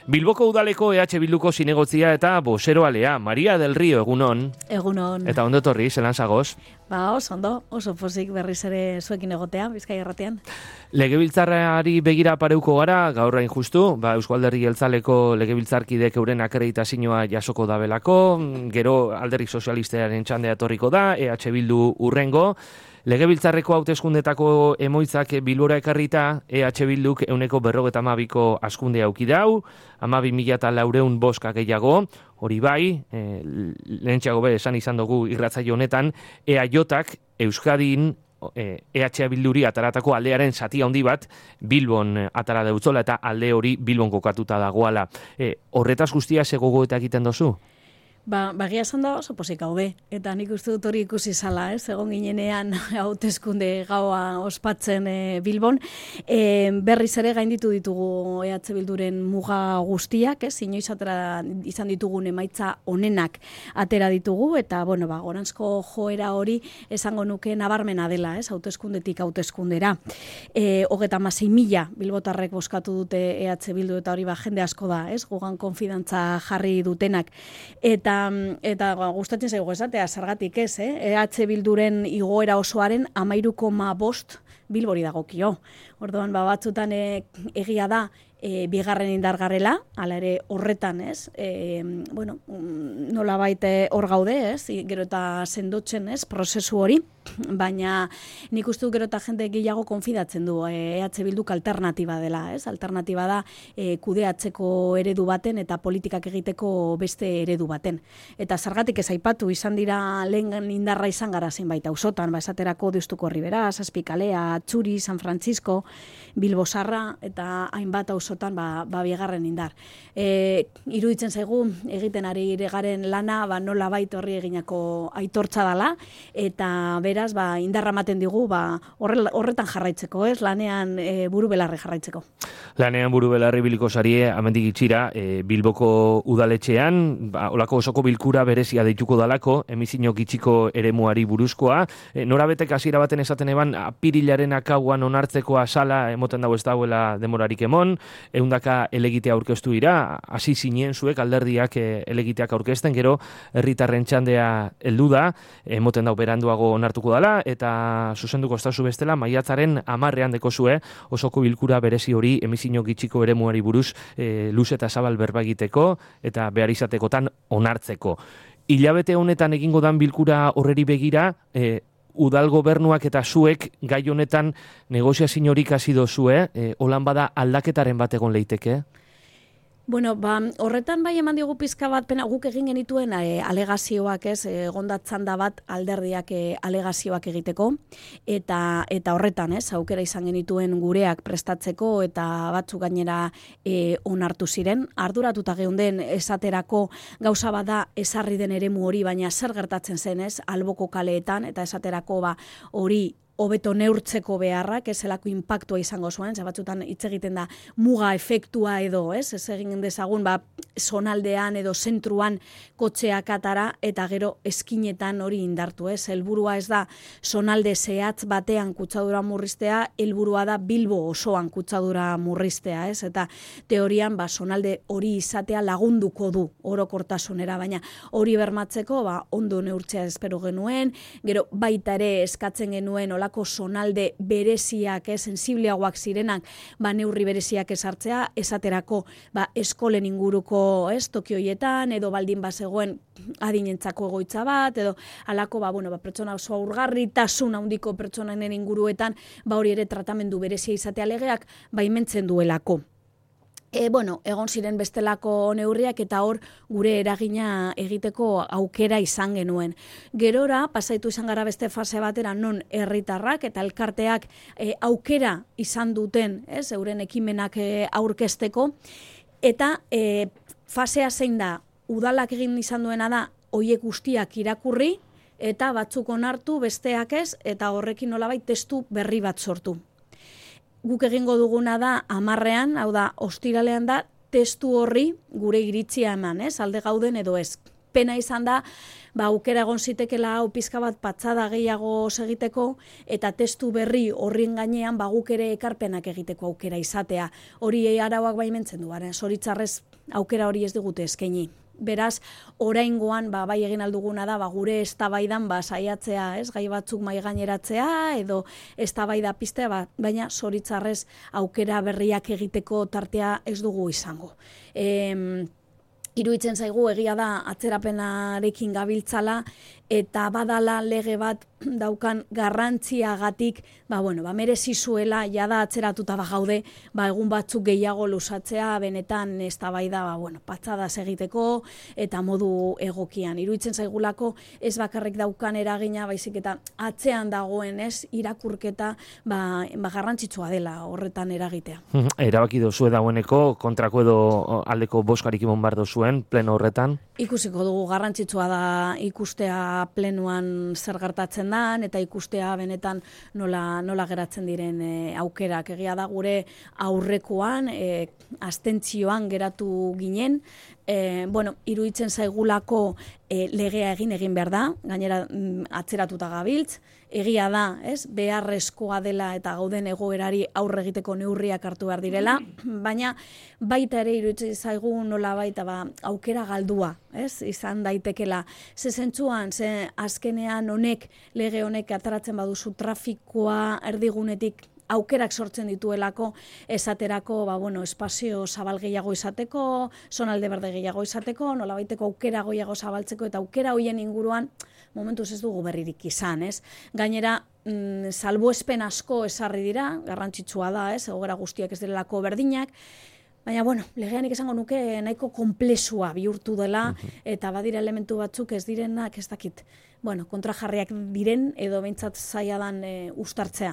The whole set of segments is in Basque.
Bilboko udaleko EH Bilduko zinegotzia eta boseroalea, Maria del Rio, egunon. Egunon. Eta ondo torri, zelan zagoz? Oso pozik berriz ere zuekin egotea, Bizkaia irratian. Legebiltzarrari begira pareuko gara, gaur hain justu, Eusko Alderdi Jeltzaleko legebiltzarkidek euren akreditazioa jasoko dabelako, gero Alderdi Sozialistaren txandea etorriko da, EH Bildu urrengo. Legebiltzarreko hauteskundetako emoitzak Bilbora ekarrita, EH Bilduk 152ko askunde auki dau, 12.400 boska gehiago, hori bai, lehentxeago esan izan dugu irratzaio honetan, EAJak Euskadin EH Bilduri ataratako aldearen zati handi bat Bilbon atara deutzola eta alde hori Bilbon kokatuta dagoala. Horretaz guztia ze gogoeta egiten dozu? Bagia esan da oso pozik gaude, eta nik uste dut hori ikusi zala, egon ginenean hauteskunde gaua ospatzen Bilbon. Berriz ere gainditu ditugu EH Bilduren muga guztiak, inoiz atera izan ditugun emaitza onenak atera ditugu, eta goranzko joera hori esango nuke nabarmena dela, hauteskundetik hauteskundera. 36.000 bilbotarrek bozkatu dute EH Bildu, eta hori jende asko da, gugan konfidantza jarri dutenak. Eta gustatzen zaigu esatea, zergatik ez, EH Bilduren igoera osoaren 13,5 Bilbori dagokio. Orduan, batzutan egia da, bigarren indargarrela, hala ere horretan, nolabait hor gaude, gero eta sendotzen, prozesu hori, baina nik uste dut gero eta jende gehiago konfidatzen du EH Bilduk alternatiba dela, alternatiba da kudeatzeko eredu baten eta politikak egiteko beste eredu baten. Eta zergatik ez aipatu, izan dira lehen indarra izan gara zenbait auzotan, esaterako Deustuko Ribera, Zazpikalea, Txuri, San Francisco, Bilbo Zarra eta hainbat auzotan bigarren indar. Iruditzen zaigu egiten ari garen lana nolabait horri eginako aitortza dela eta beraz indarra ematen digu horretan jarraitzeko, lanean buru belarri jarraitzeko. Lanean buru belarri biliko sarie, amendik itxira, Bilboko udaletxean, olako osoko bilkura berezia deituko dalako, emizino gitxiko eremuari buruzkoa. Norabetek hasiera baten esaten eban, apirilaren akauan onartzeko asala emoten dago ez dauela demorarik emon, eundaka elegitea aurkeztu dira, hasi zinen zuek alderdiak elegiteak aurkezten, gero herritarren txandea heldu da, emoten dau beranduago onartuko dala, eta zuzenduko estazu bestela, maiatzaren 10ean dekozue, osoko bilkura berezi hori emizino gitxiko eremuari buruz luz eta zabal berba egiteko, eta behar izatekotan onartzeko. Hilabete honetan egingo dan bilkura horreri begira, udal gobernuak eta zuek gai honetan negoziazio horik hasi dozue, holan bada aldaketaren bat egon leiteke? Horretan eman diogu pizka bat pena guk egin genituen alegazioak, egondatzan da bat alderdiak alegazioak egiteko, eta horretan, aukera izan genituen gureak prestatzeko eta batzuk gainera onartu ziren. Arduratuta geunden esaterako gauza bada ezarri den eremu hori, baina zer gertatzen zen, alboko kaleetan, eta esaterako hori hobeto neurtzeko beharrak, zelako inpaktua izango zuen, batzutan hitz egiten da muga efektua edo, ez egin dezagun, zonaldean edo zentruan kotxeak atara, eta gero eskinetan hori indartu, helburua ez da zonalde zehatz batean kutsadura murriztea, helburua da Bilbo osoan kutsadura murriztea, eta teorian zonalde hori izatea lagunduko du orokortasunera, baina hori bermatzeko ondo neurtzea espero genuen, gero baita ere eskatzen genuen zonalde bereziak, sensibleagoak zirenak, neurri bereziak esartzea, esaterako eskolen inguruko tokioietan, edo baldin bazegoen adinentzako egoitza bat, edo alako pertsona oso aurgarritasun handiko pertsonanen inguruetan, hori ere tratamendu berezia izatea legeak, baimentzen duelako. Egon ziren bestelako neurriak eta hor gure eragina egiteko aukera izan genuen. Gerora, pasaitu izan gara beste fase batera non herritarrak eta elkarteak aukera izan duten, euren ekimenak aurkezteko, eta fasea zein da, udalak egin izan duena da, hoiek guztiak irakurri, eta batzuk onartu, besteak ez, eta horrekin nolabait testu berri bat sortu. Guk egingo duguna da 10ean, hau da, ostiralean da, testu horri gure iritzia eman, alde gauden edo ez. pena izan da, aukera egon zitekela hau pizka bat patzada gehiago segiteko, eta testu berri horrien gainean guk ere ekarpenak egiteko aukera izatea. Hori arauak baimentzen du, zoritzarrez aukera hori ez digute eskaini. Beraz, oraingoan bai egin alduguna da gure eztabaidan saiatzea, gai batzuk mahai gaineratzea edo eztabaida piztea, baina zoritzarrez aukera berriak egiteko tartea ez dugu izango. Iruditzen zaigu egia da atzerapenarekin gabiltzala eta badala lege bat daukan garrantziagatik, merezi zuela jada atzeratuta gaude, egun batzuk gehiago luzatzea benetan eztabaida patzadas egiteko eta modu egokian. Iruditzen zaigulako ez bakarrik daukan eragina, baizik eta atzean dagoen irakurketa garrantzitsua dela horretan eragitea. Erabaki dozue dagoeneko kontrako edo aldeko boskarik imon bar dozuen pleno horretan? Ikusiko dugu, garrantzitsua da ikustea plenuan zer gertatzen dan eta ikustea benetan nola geratzen diren aukerak. Egia da gure aurrekoan abstentzioan geratu ginen, iruditzen zaigulako legea egin behar da, gainera atzeratuta gabiltz, egia da, beharrezkoa dela eta gauden egoerari aurre egiteko neurriak hartu behar direla, baina baita ere iruditzen zaigu nola baita aukera galdua, izan daitekela. Ze zentzuan, azkenean lege honek ateratzen baduzu trafikoa erdigunetik aukerak sortzen dituelako, esaterako, espazio zabal gehiago izateko, zonalde berde gehiago izateko, nolabaiteko aukera gehiago zabaltzeko, eta aukera hoien inguruan, momentuz ez dugu berririk izan, Gainera, salbuespen asko esarri dira, garrantzitsua da, egoera guztiak ez direlako berdinak, baina, legeanik esango nuke nahiko konplexua bihurtu dela, eta badira elementu batzuk ez direnak, ez dakit, kontrajarriak diren, edo behintzat zaila dan uztartzea.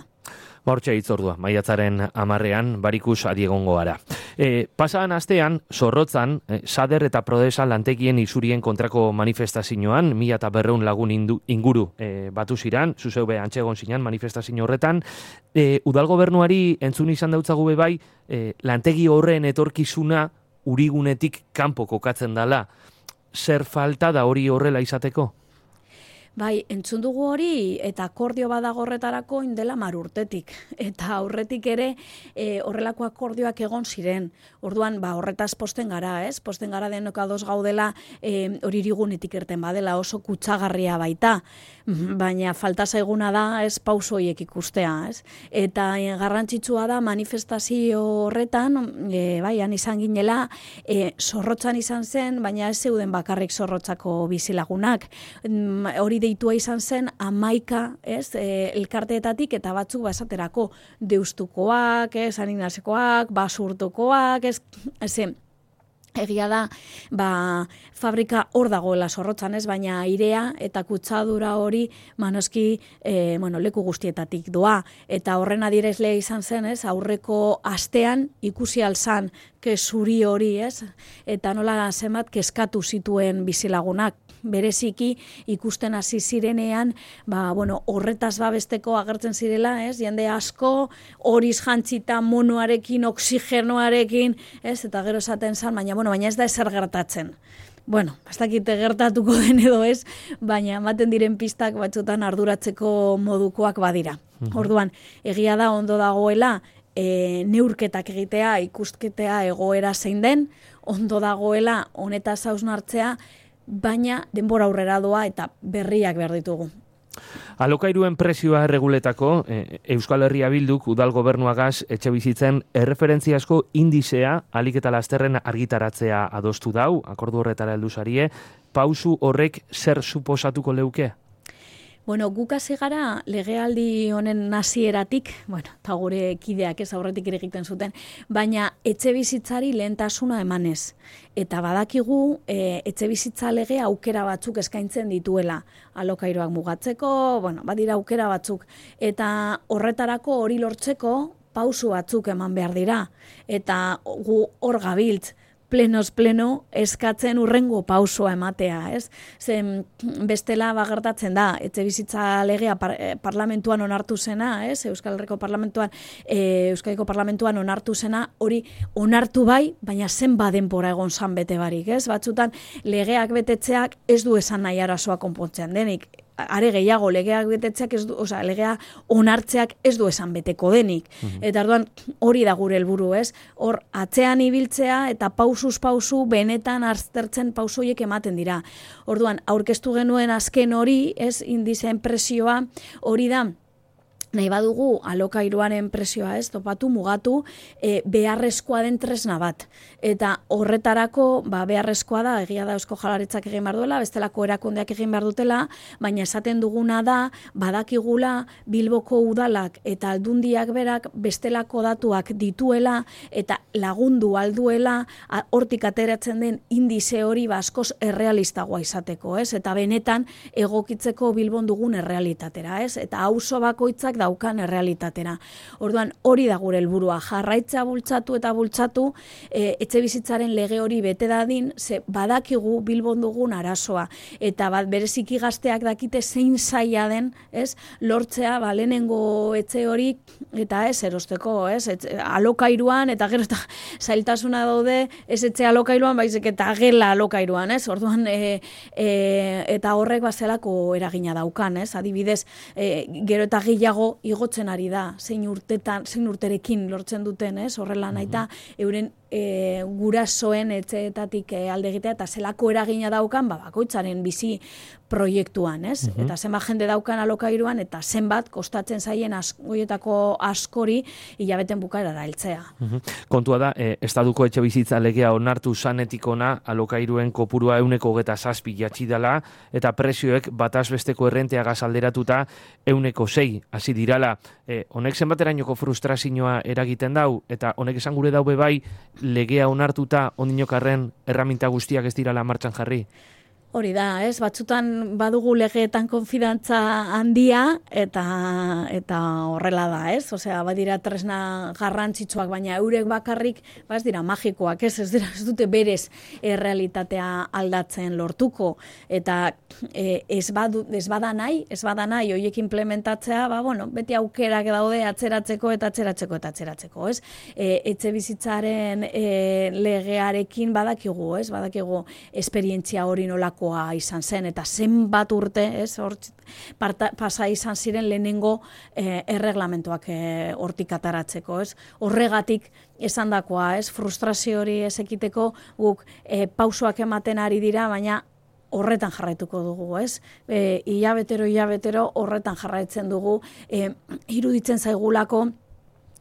Hortxe hitzordua, maiatzaren 10ean barikus adiegongo gara. Pasadan astean, Zorrotzan, Sader eta Prodesa lantegien isurien kontrako manifestazioan, 1200 lagun inguru batu ziran, zuzeube antxegon zinan manifestazio horretan. Udal gobernuari entzun izan dautzagu bai, lantegi horren etorkizuna urigunetik kanpo kokatzen dala. Zer falta da hori horrela izateko? Bai, entzun dugu hori eta akordio badago horretarako indela 10 urtetik. Eta aurretik ere horrelako akordioak egon ziren. Orduan, horretaz posten gara, Posten gara denok ados gaudela hori irigunetik irten badela oso kutsagarria baita. Baina falta zaiguna da pauso horiek ikustea, Eta garrantzitsua da manifestazio horretan, han izan ginela, Zorrotzan izan zen, baina ez zeuden bakarrik Zorrotzako bizilagunak. Hori deitua izan zen 11 elkarteetatik eta batzuk esaterako Deustukoak, San Ignazekoak, Basurtukoak, egia da, fabrika hor dagoela Zorrotzan, baina airea eta kutsadura hori manoski leku guztietatik doa. Eta horren adierazlea izan zen, aurreko astean ikusi alzan zuri hori, eta nola zenbat kezkatu zituen bizilagunak. Bereziki ikusten hasi zirenean, horretaz babesteko agertzen zirela, jende asko, horiz jantzita monoarekin, oxigenoarekin, eta gero esaten zan, baina ez da ezer gertatzen. Ez dakite gertatuko den edo ez, baina ematen diren pistak batzutan arduratzeko modukoak badira. Orduan, egia da ondo dagoela, neurketak egitea, ikusketea egoera zein den, ondo dagoela honetaz hausnartzea, baina denbora aurrera doa eta berriak behar ditugu. Alokairuen presioa erreguletako, Euskal Herria Bilduk udal gobernuagaz etxebizitzen erreferentziazko indizea alik eta lasterren argitaratzea adostu dau, akordu horretara heldu zarie, pausu horrek zer suposatuko leuke? Guk hasi gara legealdi honen hasieratik, eta gure kideak aurretik ere egiten zuten, baina etxebizitzari lehentasuna emanez. Eta badakigu etxebizitza lege aukera batzuk eskaintzen dituela. Alokairuak mugatzeko, badira aukera batzuk. Eta horretarako hori lortzeko pausu batzuk eman behar dira. Eta gu hor gabiltz. pleno eskatzen urrengo pausoa ematea, ez? Zen bestela gertatzen da, etxebizitza legea parlamentuan onartu zena, ez? Euskadiko parlamentuan onartu zena, hori onartu bai, baina zenba denbora egon zan bete barik, ez? Batzutan legeak betetzeak ez du esan nahi arazoa konpontzean denik. Are gehiago, legeak betetzeak legea onartzeak ez du esan beteko denik. Eta orduan hori da gure helburu, ez? Hor atzean ibiltzea eta pausuz pausu benetan aztertzen pausoiek ematen dira. Orduan aurkeztu genuen azken hori, ez, indizeen presioa hori da. Nahi badugu alokairuaren presioa, ez, topatu, mugatu, beharrezkoa den tresna bat. Eta horretarako, beharrezkoa da, egia da Eusko Jaurlaritzak egin behar duela, bestelako erakundeak egin behar dutela, baina esaten duguna da, badakigula Bilboko udalak eta aldundiak berak bestelako datuak dituela, eta lagundu alduela, hortik ateratzen den indize hori askoz errealistagoa izateko, ez? Eta benetan egokitzeko Bilbon dugun errealitatera, ez? Eta auzo bakoitzak daukan errealitatera. Orduan, hori da gure helburua, jarraitza bultzatu eta bultzatu, etxebizitzaren lege hori bete dadin, ze badakigu Bilbon dugun arazoa, eta bereziki gazteak dakite zein zaila den, ez, lortzea, lehenengo etxe hori, eta ez, erosteko, ez, alokairuan, eta gero eta zailtasuna daude, ez etxe alokairuan, baizik eta gela alokairuan, ez, orduan, eta horrek bazelako eragina daukan, ez, adibidez, gero eta gehiago igotzen ari da, zein urterekin lortzen duten, ez? Horrela naita, euren gurasoen etxeetatik alde egitea, eta zelako eragina daukan, bakoitzaren bizi proiektuan, ez? Eta zenbat jende daukan alokairuan, eta zenbat kostatzen zaien horietako askori hilabeten bukaerara heltzea. Kontua da, Estatuko etxebizitza legea onartu zanetik ona alokairuen kopurua 127 jatsi dela, eta prezioek bataz besteko errenteagaz alderatuta 106 hasi dirala. Honek zenbaterainoko frustrazioa eragiten dau, eta honek esan gure daube bai, legea onartuta ondinokarren erraminta guztiak ez dirala martxan jarri? Hori da, ez? Batzutan badugu legeetan konfidantza handia eta horrela da, ez? Osea, badira tresna garrantzitsuak, baina eurek bakarrik, ez dira magikoak, ez dute berez errealitatea aldatzen lortuko, eta ez bada nahi horiek implementatzea, beti aukerak daude atzeratzeko, ez? Etxebizitzaren legearekin badakigu, ez? Badakigu esperientzia hori nolako izan zen, eta zenbat urte, pasa izan ziren lehenengo erreglamentuak hortik ataratzeko, ez? Horregatik esandakoa, ez? Frustrazio hori ez ekiteko guk pausoak ematen ari dira, baina horretan jarraituko dugu, ez? Hilabetero horretan jarraitzen dugu, iruditzen zaigulako,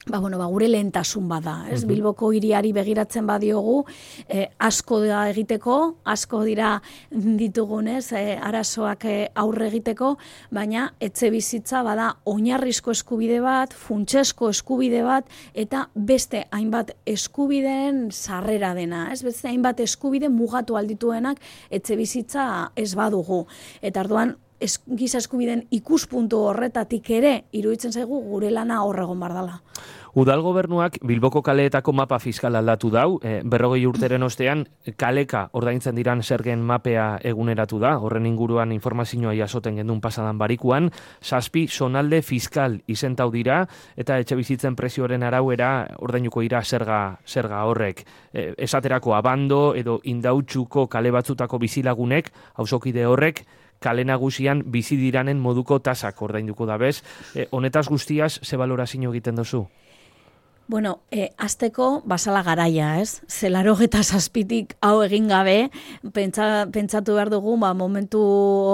gure lehentasun bada, ez? Bilboko hiriari begiratzen badiogu, asko da egiteko, asko dira ditugunez, arazoak aurre egiteko, baina etxebizitza bada oinarrizko eskubide bat, funtsesko eskubide bat, eta beste hainbat eskubideen sarrera dena, ez? Beste hainbat eskubide mugatu aldituenak etxebizitza ez badugu. Eta orduan, giza eskubideen ikuspuntu horretatik ere, iruditzen zaigu gure lana horregon bardala. Udal gobernuak Bilboko kaleetako mapa fiskal aldatu dau, 40 urteren ostean kaleka ordaintzen diran zergen mapea eguneratu da, horren inguruan informazioa jasoten gendun pasadan barikuan, 7 zonalde fiskal izentau dira, eta etxebizitzen prezioaren arauera ordainuko dira zerga horrek. Esaterako abando edo indautxuko kale batzutako bizilagunek, auzokide horrek, kale nagusian bizi diranen moduko tasak ordainduko da bez. Honetaz guztiaz, ze balorazio egiten duzu? Azteko basala garaia, ez? Zelaro geta zazpitik hau egin gabe, pentsatu behar dugu, momentu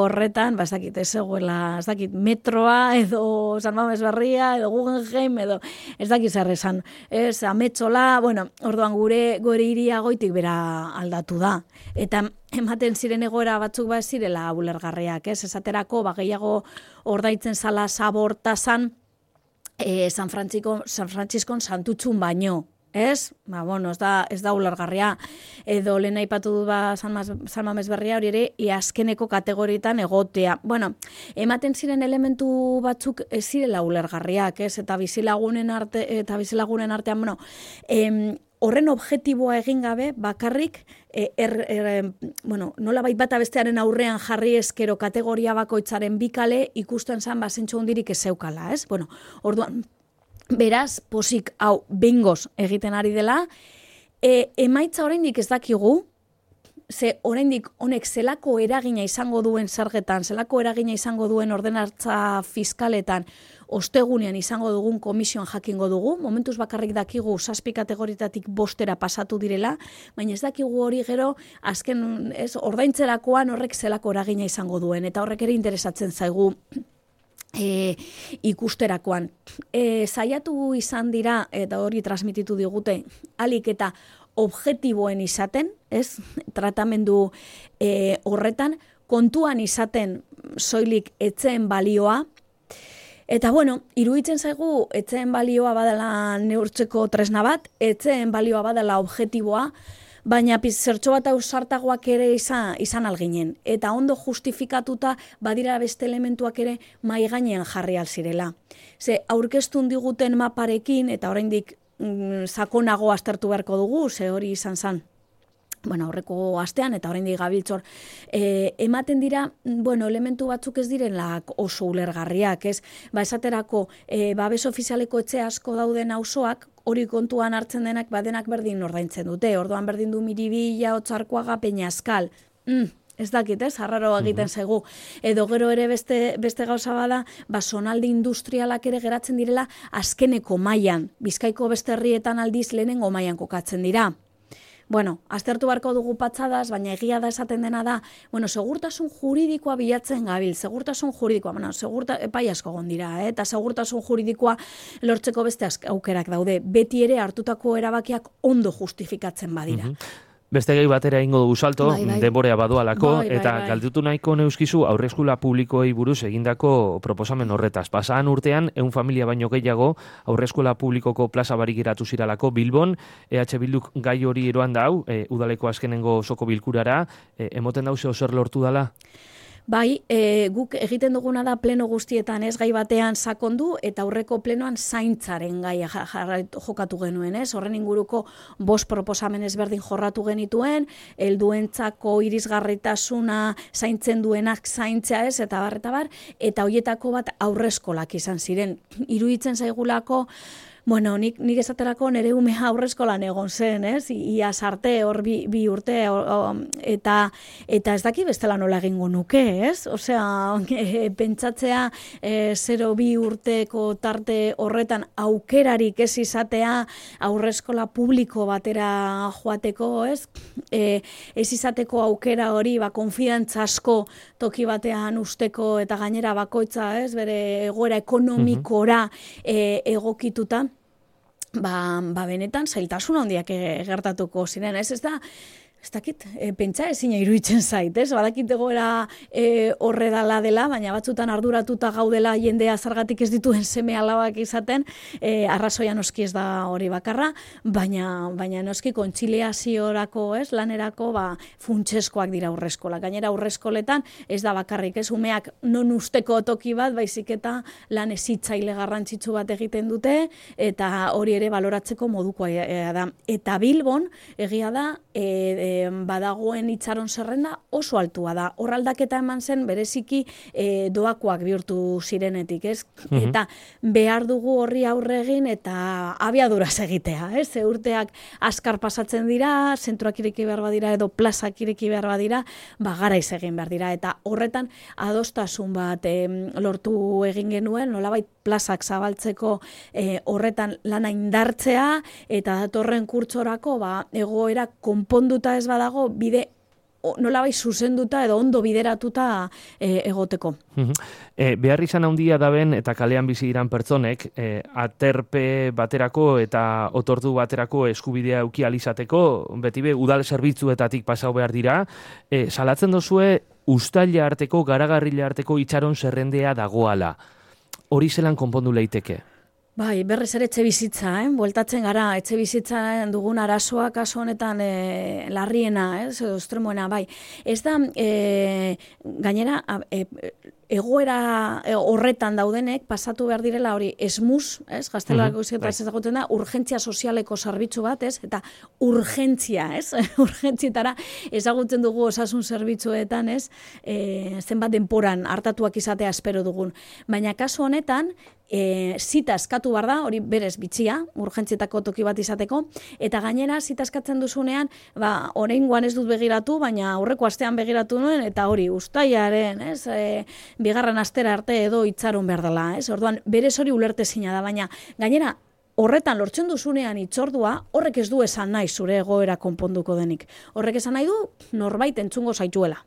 horretan, ez dakit, metroa, edo San Mames Berria, edo Guggenheim, edo ez dakit zer esan, ez, ametxola, orduan gure hiria goitik bera aldatu da. Eta ematen ziren egoera batzuk ez zirela ulergarriak, ez? Esaterako, gehiago ordaitzen zala zabortazan, San Frantziskon santutxun baino, ez? Ez da ulergarria. Edo lehen aipatu du San Mames Berria hori ere, azkeneko kategorietan egotea. Ematen ziren elementu batzuk ez zirela ulergarriak, ez? Eta bizilagunen artean, horren objektiboa egin gabe, bakarrik, nolabait bata bestearen aurrean jarri eskero kategoria bakoitzaren bikale ikusten zan bazentxo hundirik ez zeukala, ez? Bueno, orduan, beraz, posik hau behingoz egiten ari dela, emaitza oraindik ez dakigu, ze oraindik honek zelako eragina izango duen zergetan, zelako eragina izango duen ordenantza fiskaletan, ostegunean izango dugun komisioan jakingo dugu, momentuz bakarrik dakigu 7 kategoritatik 5 pasatu direla, baina ez dakigu hori gero azken ordaintzerakoan horrek zelako eragina izango duen, eta horrek ere interesatzen zaigu ikusterakoan. Saiatu izan dira, eta hori transmititu digute, alik eta objektiboen izaten, ez? Tratamendu horretan, kontuan izaten soilik etzeen balioa, eta bueno, iruditzen zaigu etzeen balioa badala neurtzeko tresna bat, etzeen balioa badala objektiboa, baina zertxo bat ausartagoak ere izan alginen. Eta ondo justifikatuta badira beste elementuak ere mai gainean jarri alzirela. Ze aurkeztun diguten maparekin, eta oraindik sakonago aztertu beharko dugu, ze hori izan zen. Aurreko astean, eta oraindik gabiltzor, ematen dira, elementu batzuk ez direnlak oso ulergarriak, ez? Esaterako, babes ofizialeko etxe asko dauden auzoak, hori kontuan hartzen denak, badenak berdin ordaintzen dute, orduan berdin du Miribilla, Otzarkoaga, Peñascal. Ez dakit, ez? Arraro egiten zaigu. Edo gero ere beste gauza bada, zonalde industrialak ere geratzen direla azkeneko mailan. Bizkaiko beste herrietan aldiz lehenengo mailan kokatzen dira. Aztertu beharko dugu patxadaz, baina egia da esaten dena da, segurtasun juridikoa bilatzen gabil, segurtasun juridikoa, epai asko gondira, eta segurtasun juridikoa lortzeko beste aukerak daude, beti ere hartutako erabakiak ondo justifikatzen badira. Beste gai batera ingo dugu salto, denborea badoalako, eta galdutu nahiko neuskizu aurreskola publikoei buruz egindako proposamen horretaz. Pasaan urtean, 100 familia baino gehiago aurreskola publikoko plaza barik geratu ziralako Bilbon, EH Bilduk gai hori eroan da hau, udaleko azkenengo osoko bilkurara, emoten dauze zer lortu dala? Bai, guk egiten duguna da pleno guztietan ez gai batean sakondu eta aurreko plenoan zaintzaren gaia jokatu genuen, ez? Horren inguruko 5 proposamen ezberdin jorratu genituen, helduentzako irisgarritasuna zaintzen duenak zaintzea ez, eta bar, eta hoietako bat aurreskolak izan ziren. Iruditzen zaigulako, nik esaterako nire umea aurreskolan egon zen, ez? Ia sarte hor bi urte, eta ez daki bestela nola egingo nuke, ez? Osea, pentsatzea 0-2 urteko tarte horretan aukerarik ez izatea aurreskola publiko batera joateko, ez? Ez izateko aukera hori, konfidantza asko toki batean usteko eta gainera bakoitza, ez? Bere egoera ekonomikora egokituta. Benetan zailtasun handiak gertatuko ziren, ez da, ez dakit, pentsa ezina iruditzen zait, ez? Badakit egoera horre dela, baina batzutan arduratuta gaudela jendea zergatik ez dituen seme alabak izaten, arrazoia noski ez da hori bakarra, baina noski kontziliaziorako, ez, lanerako, funtseskoak dira aurreskola. Gainera aurreskoletan ez da bakarrik, ez, umeak non usteko toki bat, baizik eta lan ezitzaile garrantzitsu bat egiten dute, eta hori ere baloratzeko modukoa da. Eta Bilbon, egia da, badagoen itxaron zerrenda oso altua da. Hor aldaketa eman zen bereziki doakoak bihurtu zirenetik, ez? Eta behar dugu horri aurre egin eta abiaduraz egitea, ez? Urteak askar pasatzen dira, zentroak ireki behar badira edo plazak ireki behar badira, garaiz egin behar dira. Eta horretan adostasun bat lortu egin genuen, nolabait plazak zabaltzeko horretan lana indartzea eta datorren kurtsorako egoera konponduta ez badago, bide nolabait zuzenduta edo ondo bideratuta egoteko. Behar izan handia daben eta kalean bizi diran pertsonek, aterpe baterako eta otordu baterako eskubidea eduki ahal izateko, beti udal zerbitzuetatik pasau behar dira, salatzen dozue uztaila arteko, garagarrila arteko itxaron zerrendea dagoala. Hori zelan konpondu leiteke? Bai, berriz ere etxe bizitza, bueltatzen gara, etxe bizitzaren dugun arazoa kaso honetan larriena, edo estremoena, bai. Ez da, gainera, egoera horretan daudenek pasatu behar direla hori esmus, ez? Gaztelako izketaz ezagutzen da, urgentzia sozialeko zerbitzu bat, ez? Eta urgentzia, ez? Urgentzietara ezagutzen dugu osasun zerbitzuetan, ez? Zenbat denporan hartatuak izatea espero dugun. Baina kasu honetan, zita eskatu behar da, hori berez bitxia, urgentzietako toki bat izateko, eta gainera zita eskatzen duzunean, oraingoan ez dut begiratu, baina aurreko astean begiratu nuen, eta hori ustailaren, ez, bigarren astera arte edo itxaron behar dela, ez, orduan berez hori ulertezina da, baina gainera horretan lortzen duzunean itzordua, horrek ez du esan nahi zure egoera konponduko denik. Horrek esan nahi du, norbait entzungo zaituela.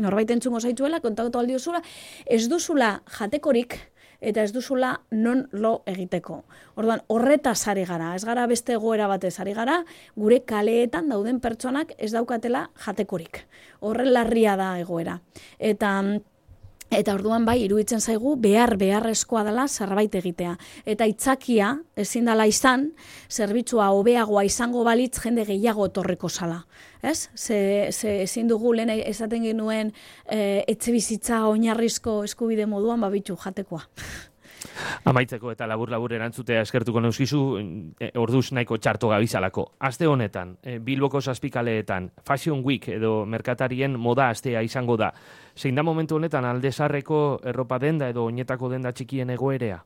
Norbait entzungo zaituela, kontaktu aldiozula, ez duzula jatekorik, eta ez duzula non lo egiteko. Orduan, horretaz ari gara, ez gara beste egoera batez ari gara, gure kaleetan dauden pertsonak ez daukatela jatekorik. Horren larria da egoera. Eta orduan bai, iruditzen zaigu, beharrezkoa dela zerbait egitea. Eta itzakia, ezin dela izan, zerbitzua hobeagoa izango balitz jende gehiago etorreko zala. Ez? Ezin dugu lehen esaten genuen etxebizitza oinarrizko eskubide moduan babitu jatekoa. Amaitzeko eta labur erantzutea eskertuko neuskizu, orduz nahiko txarto gabizalako. Aste honetan, Bilboko zazpikaleetan, Fashion Week edo merkatarien moda astea izango da. Zein da momentu honetan aldezarreko erropa denda edo oinetako denda txikien egoerea?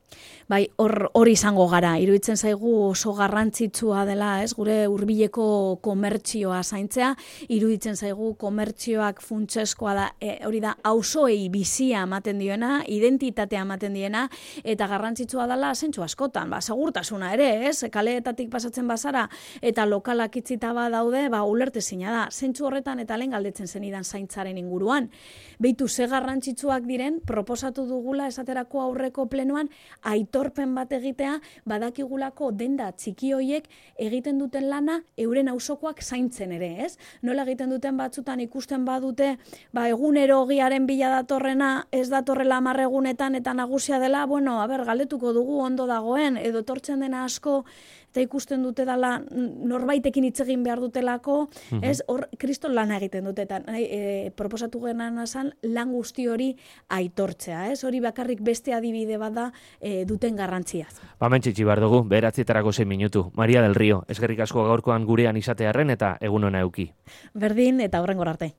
Bai, hori izango gara. Iruditzen zaigu oso garrantzitsua dela, ez? Gure hurbileko komertzioa zaintzea, iruditzen zaigu komertzioak funtseskoa da, hori da, auzoei bizia ematen diena, identitatea ematen diena, eta garrantzitsua dela zentzu askotan, segurtasuna ere, ez? Kaleetatik pasatzen bazara, eta lokalak itzita daude, ulertezina da. Zentzu horretan eta lehen galdetzen zenidan zaintzaren inguruan. Beitu ze garrantzitsuak diren, proposatu dugula esaterako aurreko plenoan, aitorpen bat egitea, badakigulako denda txiki hoiek egiten duten lana euren auzokoak zaintzen ere, ez? Nola egiten duten batzutan ikusten badute, egunero ogiaren bila datorrena, ez datorrela 10 egunetan eta nagusia dela, galdetuko dugu ondo dagoen, edo etortzen dena asko, eta ikusten dute dela norbaitekin hitz egin behar dutelako, ez, hor kriston lana egiten dute, eta proposatu genan azan, lan guzti hori aitortzea, ez, hori bakarrik beste adibide bat da duten garrantziaz. Mentxitsi behar dugu, 9:06 minutu. Maria del Rio, eskerrik asko gaurkoan gurean izatearren eta egun ona euki. Berdin eta hurrengora arte.